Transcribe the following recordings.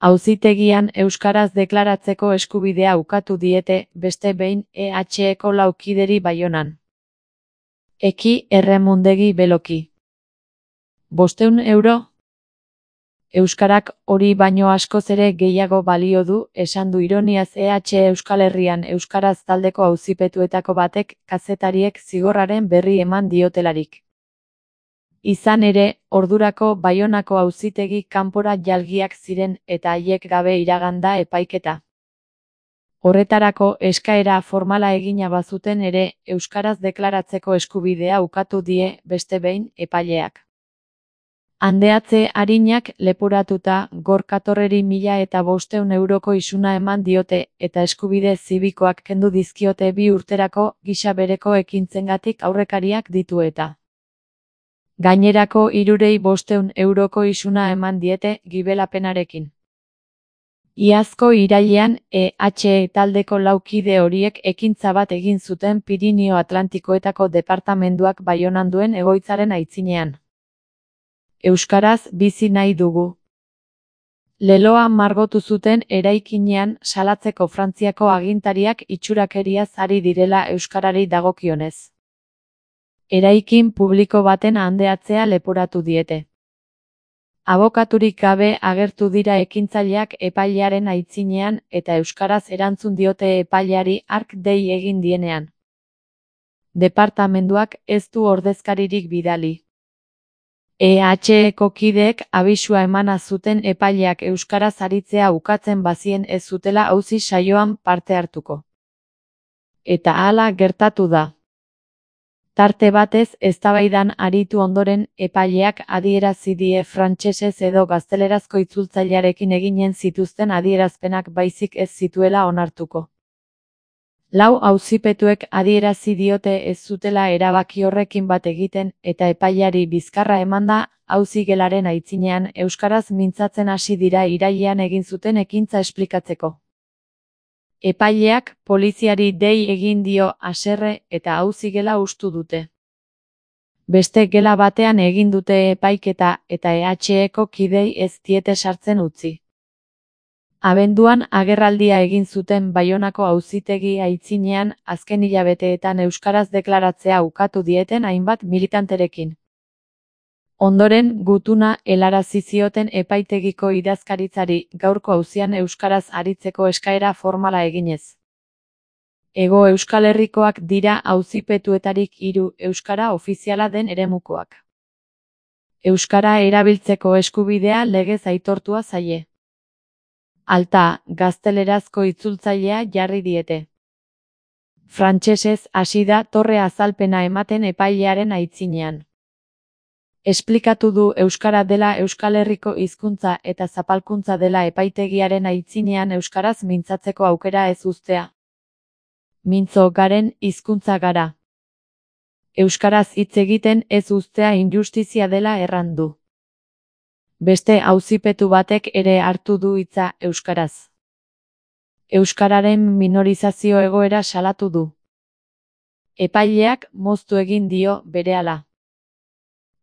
Auzitegian euskaraz deklaratzeko eskubidea ukatu diete beste behin EHeko 4 kideri Baionan. Eki Erremundegi Beloki. 500 euro? Euskarak hori baino askoz ere gehiago balio du, esan du ironiaz EH Euskal Herrian euskaraz taldeko auzipetuetako batek kazetariek zigorraren berri eman diotelarik. Izan ere, ordurako Baionako auzitegi kanpora jalgiak ziren eta haiek gabe iragan da epaiketa. Horretarako eskaera formala egina bazuten ere, euskaraz deklaratzeko eskubidea ukatu die beste behin epaileak. Handeatze arinak leporatuta Gorkatorreri 1500 euroko isuna eman diote eta eskubide zibikoak kendu dizkiote 2 urterako gisa bereko ekintzengatik aurrekariak ditu eta. Gainerako 3 500 euroko isuna eman diete gibelapenarekin. Iazko irailean EH taldeko 4 kide horiek ekintza bat egin zuten Pirinio Atlantikoetako departamenduak Baionan duen egoitzaren aitzinean. Euskaraz bizi nahi dugu. Leloa margotu zuten eraikinean salatzeko Frantziako agintariak itxurakeriaz ari direla euskarari dagokionez. Eraikin publiko baten handeatzea leporatu diete. Abokaturik gabe agertu dira ekintzaileak epailearen aitzinean eta euskaraz erantzun diote epaileari hark dei egin dienean. Departamenduak ez du ordezkaririk bidali. EHeko kideek abisua emana zuten epaileak euskaraz aritzea ukatzen bazien ez zutela auzi saioan parte hartuko. Eta hala gertatu da. Tarte batez eztabaidan aritu ondoren epaileak adierazi die frantsesez edo gaztelerazko itzultzailearekin eginen zituzten adierazpenak baizik ez zituela onartuko. 4 auzipetuek adierazi diote ez zutela erabaki horrekin bat egiten eta epaileari bizkarra emanda auzigelaren aitzinean euskaraz mintzatzen hasi dira irailean egin zuten ekintza esplikatzeko. Epaileak poliziari dei egin dio haserre eta auzigela hustu dute. Beste gela batean egin dute epaiketa eta EHeko kidei ez diete sartzen utzi. Abenduan agerraldia egin zuten Baionako auzitegi aitzinean azken hilabeteetan euskaraz deklaratzea ukatu dieten hainbat militanterekin. Ondoren gutuna helarazi zioten epaitegiko idazkaritzari gaurko auzian euskaraz aritzeko eskaera formala eginez. Hego Euskal Herrikoak dira auzipetuetarik 3 euskara ofiziala den eremukoak. Euskara erabiltzeko eskubidea legez aitortua zaie. Alta, gaztelerazko itzultzailea jarri diete. Frantsesez hasi da torre azalpena ematen epailearen aitzinean. Esplikatu du euskara dela Euskal Herriko hizkuntza eta zapalkuntza dela epaitegiaren aitzinean euskaraz mintzatzeko aukera ez uztea. Mintzo garen hizkuntza gara. Euskaraz hitz egiten ez uztea injustizia dela erran du. Beste auzipetu batek ere hartu du hitza euskaraz. Euskararen minorizazio egoera salatu du. Epaileak moztu egin dio berehala.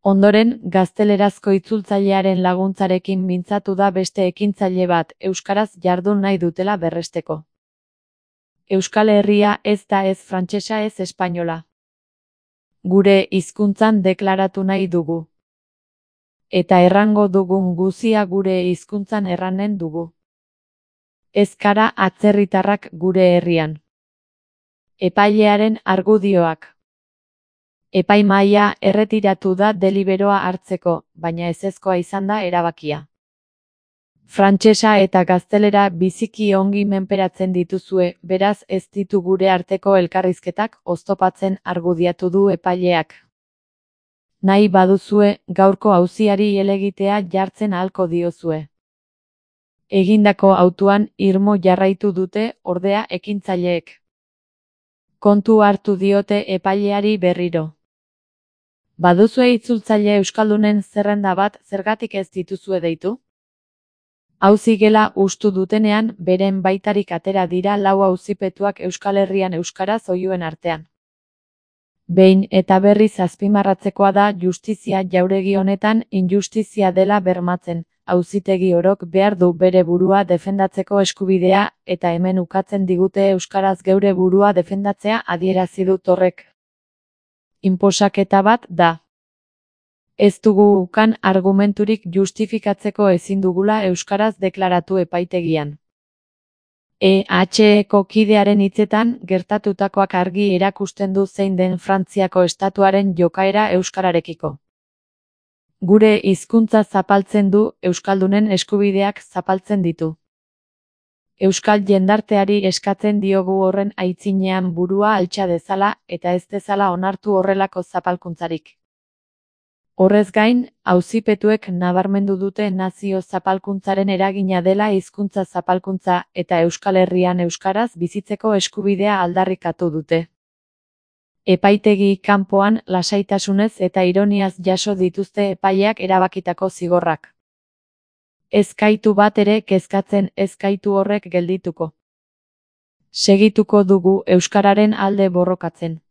Ondoren, gaztelerazko itzultzailearen laguntzarekin mintzatu da beste ekintzaile bat euskaraz jardun nahi dutela berresteko. Euskal Herria ez da ez frantsesa ez espainola. Gure hizkuntzan deklaratu nahi dugu. Eta errango dugun guzia gure hizkuntzan erranen dugu. Ez gara atzerritarrak gure herrian. Epailearen argudioak. Epaimahaia erretiratu da deliberoa hartzeko, baina ezezkoa izan da erabakia. Frantsesa eta gaztelera biziki ongi menperatzen dituzue, beraz ez ditu gure arteko elkarrizketak oztopatzen argudiatu du epaileak. Nahi baduzue, gaurko auziari helegitea jartzen ahalko diozue. Egindako hautuan irmo jarraitu dute, ordea ekintzaileek. Kontu hartu diote epaileari berriro. Baduzue itzultzaile euskaldunen zerrenda bat zergatik ez dituzue deitu? Auzigela hustu dutenean, beren baitarik atera dira 4 auzipetuak Euskal Herrian euskaraz oihuen artean. Behin eta berriz azpimarratzekoa da justizia jauregi honetan injustizia dela bermatzen, auzitegi orok behar du bere burua defendatzeko eskubidea, eta hemen ukatzen digute euskaraz geure burua defendatzea adierazi dut horrek. Inposaketa bat da. Ez dugu ukan argumenturik justifikatzeko ezin dugula euskaraz deklaratu epaitegian. EHeko kidearen hitzetan, gertatutakoak argi erakusten du zein den Frantziako estatuaren jokaera euskararekiko. Gure hizkuntza zapaltzen du, euskaldunen eskubideak zapaltzen ditu. Euskal jendarteari eskatzen diogu horren aitzinean burua altxa dezala, eta ez dezala onartu horrelako zapalkuntzarik. Horrez gain, auzipetuek nabarmendu dute nazio zapalkuntzaren eragina dela hizkuntza zapalkuntza, eta Euskal Herrian euskaraz bizitzeko eskubidea aldarrikatu dute. Epaitegi kanpoan lasaitasunez eta ironiaz jaso dituzte epaileak erabakitako zigorrak. Ez gaitu bat ere kezkatzen, ez gaitu horrek geldituko. Segituko dugu euskararen alde borrokatzen.